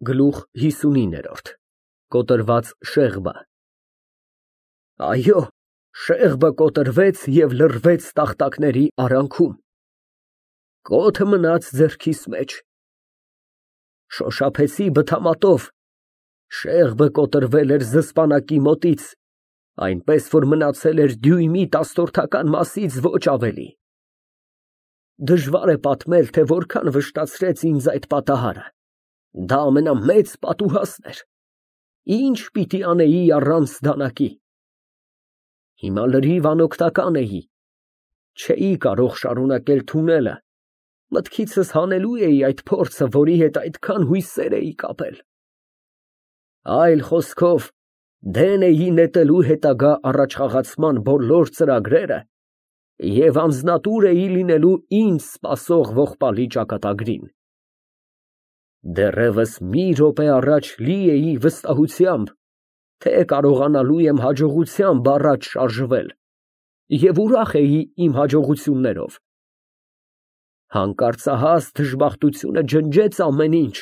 Գլուխ 59 Կոտրված շեղբը Այո, շեղբը կոտրվեց և լռվեց տախտակների արանքում, կոթը մնաց ձեռքիս մեջ, շոշափեցի բթամատով, շեղբը կոտրվել էր զսպանակի մոտից, այնպես, որ մնացել էր դյույմի տասնորդական մասից ոչ ավելի։ Դժվար է պատմել, թե որքան վշտացրեց ինձ այդ պատահարը, դա ամենամեծ պատուհասն էր, ինչ պիտի անեի առանց դանակի։ Հիմա լրիվ անօգնական էի, չէի կարող շարունակել թունելը, մտքիցս հանելու էի այդ փորձը, որի հետ այդքան հույսեր էի կապել։ Այլ խոսքով, դեն էի նետելու հետագա առաջխաղացման բոլոր ծրագրերը և անձնատուր էի լինելու ինձ սպասող ողբալի ճակատագրին։ Դեռևս մի րոպե առաջ լի էի վստահությամբ, թե կարողանալու եմ հաջողությամբ առաջ շարժվել և ուրախ էի իմ հաջողություններով։ Հանկարծահաս դժբախտությունը ջնջեց ամեն ինչ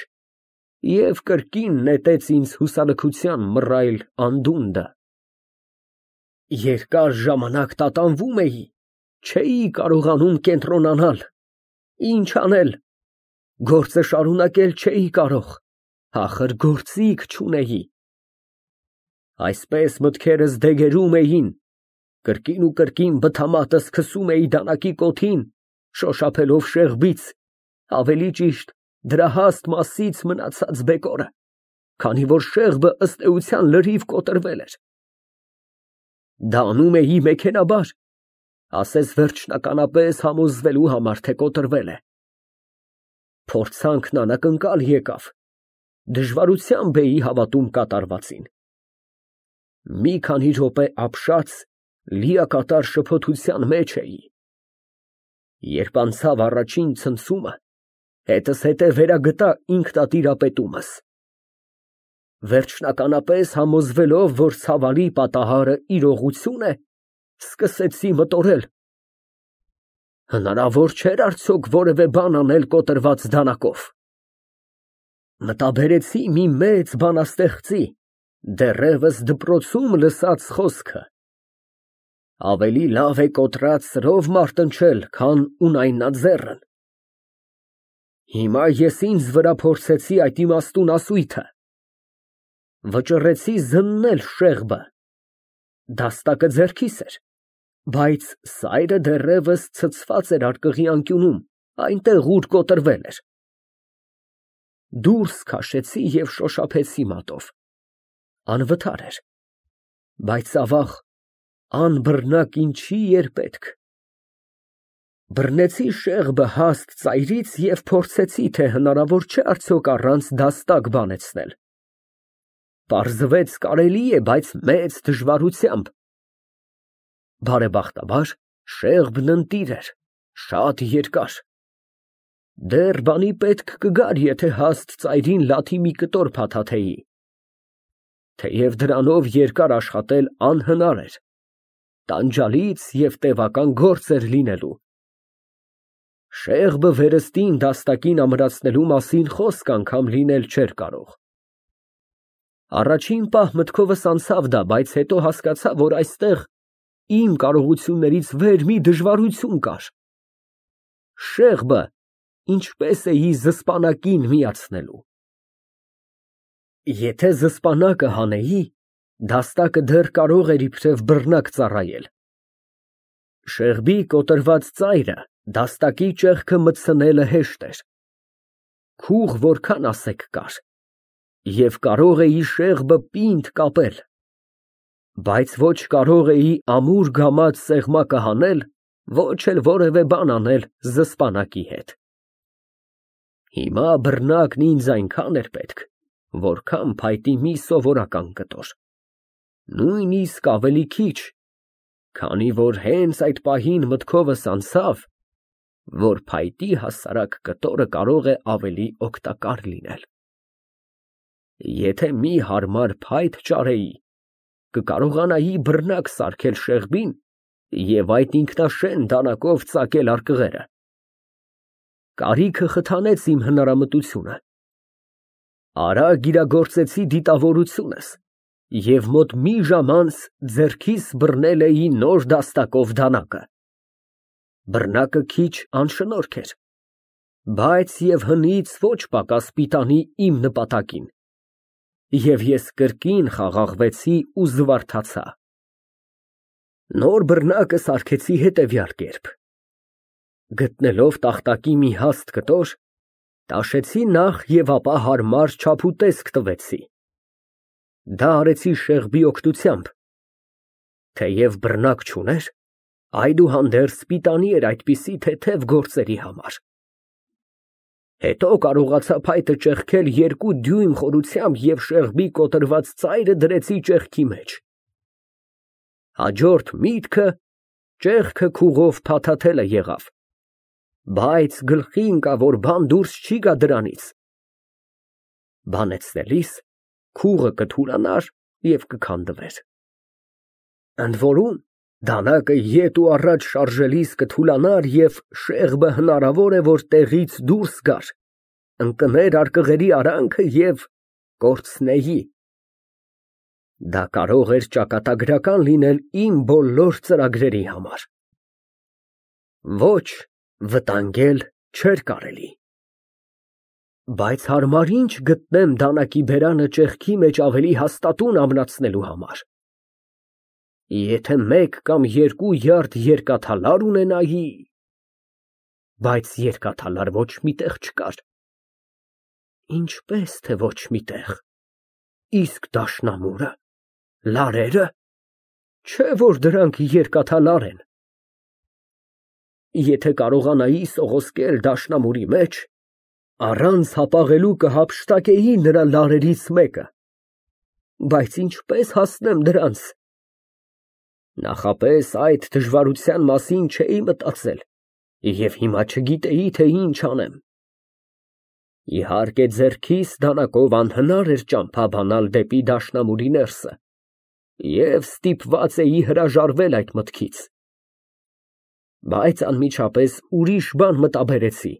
և կրկին նետեց ինձ հուսալքության մռայլ անդունդը։ Երկար ժամանակ տատանվում էի, չէի կարողանում կենտրոնանալ, ինչ անել, գործը շարունակել չէի կարող, ախր գործիք չունեի։ Այսպես մտքերս դեգերում էին, կրկին ու կրկին բթամատս քսում էի դանակի կոթին, շոշափելով շեղբից, ավելի ճիշտ դրա հաստ մասից մնացած բեկորը, քանի որ շեղբը ըստ էության լրիվ կոտրվել էր։ Դա անում էի մեքենաբար, ասես վերջնականապես համոզվելու համար, թե կոտրվել է։ Փորձանքն անակնկալ եկավ, դժվարությամբ էի հավատում կատարվածին։ Մի քանի րոպե ապշած, լիակատար շփոթության մեջ էի։ Երբ անցավ առաջին ցնցումը, հետզհետե վերագտա ինքնատիրապետումս։ Վերջնականապես համոզվելով, որ ցավալի պատահարը իրողություն է, սկսեցի մտորել. հնարավոր չէր արդյոք որևէ բան անել կոտրված դանակով։ Մտաբերեցի մի մեծ բանաստեղծի, դեռևս դպրոցում լսած խոսքը. ավելի լավ է կոտրած սրով մարտնչել, քան ունայնաձեռն։ Հիմա ես ինձ վրա փորձեցի այդ իմաստուն ասույթը, վճռեցի զննել շեղբը, դաստակը ձեռքիս էր, բայց սայրը դեռևս ցցված էր արկղի անկյունում, այնտեղ, ուր կոտրվել էր։ Դուրս քաշեցի և շոշափեցի մատով, անվտար էր, բայց ավաղ, անբռնակ ինչի էր պետք։ Բռնեցի շեղբը հաստ ծայրից և փորձեցի, թե հնարավոր չէ արդյոք առանց դաստակ բանեցնել։ Պարզվեց կարելի է, բայց մեծ դժվարությամբ։ Բարեբախտաբար, շեղբն ընտիր էր, շատ երկար։ Դեռ բանի պետք կգար, եթե հաստ ծայրին լաթի մի կտոր փաթաթեի։ Թեև դրանով երկար աշխատել անհնար էր, տանջալից և տևական գործ էր լինելու։ Շեղբը վերստին դաստակին ամրացնելու մասին խոսք անգամ լինել չէր կարող։ Առաջին պահ մտքովս անցավ դա, բայց հետո հասկացա, որ այստեղ իմ կարողություններից վեր մի դժվարություն կար։ Շեղբը ինչպես էի զսպանակին միացնելու։ Եթե զսպանակը հանեի, դաստակը դեռ կարող էր իբրև բռնակ ծառայել։ Շեղբի կոտրված ծայրը դաստակի ճեղքը մտցնելը հեշտ էր։ Քուղ որքան ասեք կար, և կարող էի շեղբը պինդ կապել, բայց ոչ կարող էի ամուր գամած սեղմակը հանել, ոչ էլ որևէ բան անել զսպանակի հետ։ Հիմա բռնակն ինձ այնքան էր պետք, որքան փայտի մի սովորական կտոր, նույնիսկ ավելի քիչ, քանի որ հենց այդ պահին մտքովս անցավ, որ փայտի հասարակ կտորը կարող է ավելի օգտակար լինել։ Եթե մի հարմար փայտ ճարեի, կկարողանայի բռնակ սարքել շեղբին և այդ ինքնաշեն դանակով ծակել արկղերը։ Կարիքը խթանեց իմ հնարամտությունը։ Արագ իրագործեցի դիտավորությունս և մոտ մի ժամ անց ձեռքիս բռնել էի նոր դաստակով դանակը։ Բռնակը քիչ անշնորհք էր, բայց և հնից ոչ պակաս պիտանի իմ նպատակին, և ես կրկին խաղաղվեցի ու զվարթացա։ Նոր բռնակը սարքեցի հետևյալ կերպ. գտնելով տախտակի մի հաստ կտոր, տաշեցի նախ և ապա հարմար չափուտեսկ տվեցի։ Դա արեցի Շեղբի օգնությամբ, թեև բռնակ չուներ, այդուհանդերձ պիտանի էր այդպիսի թեթև գործերի համար։ Հետո կարողացա փայտը ճեղքել 2 դյույմ խորությամբ և Շեղբի կոտրված ծայրը դրեցի ճեղքի մեջ։ Հաջորդ միտքը ճեղքը քուղով փաթաթելը եղավ, բայց գլխի ընկավ, որ բան դուրս չի գա դրանից։ Բանեցնելիս քուղը կթուլանար և կքանդվեր։ Ընդ որում, դանակը ետ ու առաջ շարժելիս կթուլանար և Շեղբը հնարավոր է, որ տեղից դուրս գար, ընկներ արկղերի արանքը և կորցնեի։ Դա կարող էր ճակատագրական լինել իմ բոլոր ծրագրերի համար։ Ոչ, վտանգել չէր կարելի։ Բայց հարմար ինչ գտնեմ դանակի բերանը ճեղքի մեջ ավելի հաստատուն ամրացնելու համար։ Եթե 1 կամ 2 յարդ երկաթալար ունենայի… Բայց երկաթալար ոչ մի տեղ չկար։ Ինչպես թե ոչ մի տեղ։ Իսկ դաշնամուրը, լարերը… Չէ որ դրանք երկաթալար են։ Եթե կարողանայի սողոսկել դաշնամուրի մեջ, առանց հապաղելու կհափշտակեի նրա լարերից մեկը։ Բայց ինչպես հասնեմ դրանց։ Նախապես այդ դժվարության մասին չէի մտածել և հիմա չգիտեի, թե ինչ անեմ։ Իհարկե, ձեռքիս դանակով անհնար էր ճամփա բանալ դեպի դաշնամուրի ներսը, և ստիպված էի հրաժարվել այդ մտքից։ Բայց անմիջապես ուրիշ բան մտաբերեցի.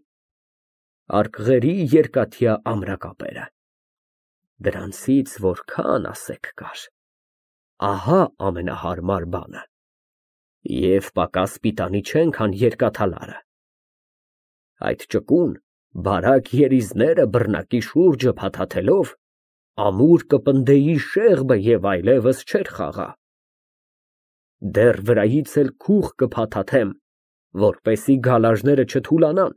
արկղերի երկաթյա ամրակապերը։ Դրանցից որքան ասեք կար։ Ահա ամենահարմար բանը։ Եվ պակաս պիտանի չեն, քան երկաթալարը։ Այդ ճկուն, բարակ երիզները բռնակի շուրջը փաթաթելով, ամուր կպնդեի Շեղբը և այլևս չէր խաղա։ Դեռ վրայից էլ քուղ կփաթաթեմ, որպեսզի գալաժները չթուլանան,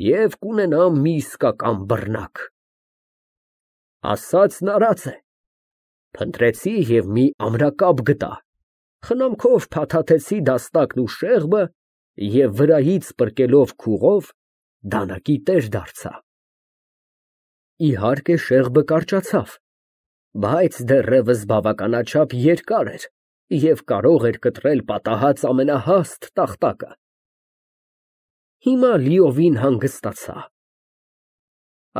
և կունենամ մի իսկական բռնակ։ Ասածն արած է։ Փնտրեցի և մի ամրակապ գտա, խնամքով փաթաթեցի դաստակն ու Շեղբը և վրայից պրկելով քուղով դանակի տեր դարձա։ Իհարկե, Շեղբը կարճացավ, բայց դեռևս բավականաչափ երկար էր և կարող էր կտրել պատահած ամենահաստ տախտակը։ Հիմա լիովին հանգստացա։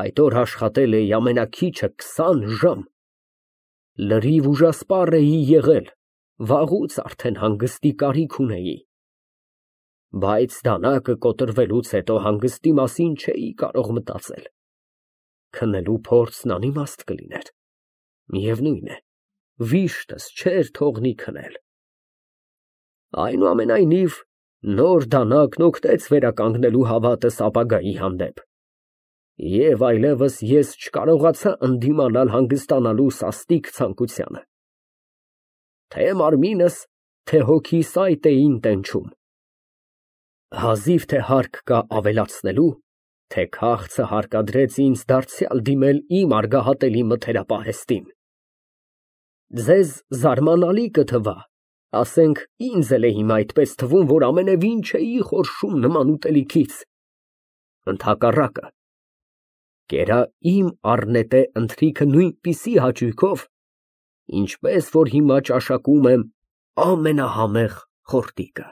Այդ օր աշխատել էի ամենաքիչը 20 ժամ։ Լրիվ ուժասպառ էի եղել, վաղուց արդեն հանգստի կարիք ունեի։ Բայց դանակը կոտրվելուց հետո հանգստի մասին չէի կարող մտածել։ Քնելու փորձն անիմաստ կլիներ։ Միևնույն է, վիշտս չէր թողնի քնել։ Այնուամենայնիվ, նոր դանակն օգնեց վերականգնելու հավատս ապագայի հանդեպ, և այլևս ես չկարողացա ընդդիմանալ հանգստանալու սաստիկ ցանկությանը։ Թե մարմինս, թե հոգիս այդ էին տենչում։ Հազիվ թե հարկ կա ավելացնելու, թե քաղցը հարկադրեց ինձ դարձյալ դիմել իմ արգահատելի մթերապահեստին։ Ձեզ զարմանալի կթվա, ասենք ինձ էլ է հիմա այդպես թվում, որ ամենևին չէի խորշում նման ուտելիքից։ Ընդհակառակը, կերա իմ առնետե ընթրիքը նույնպիսի հաճույքով, ինչպես որ հիմա ճաշակում եմ ամենահամեղ խորտիկը։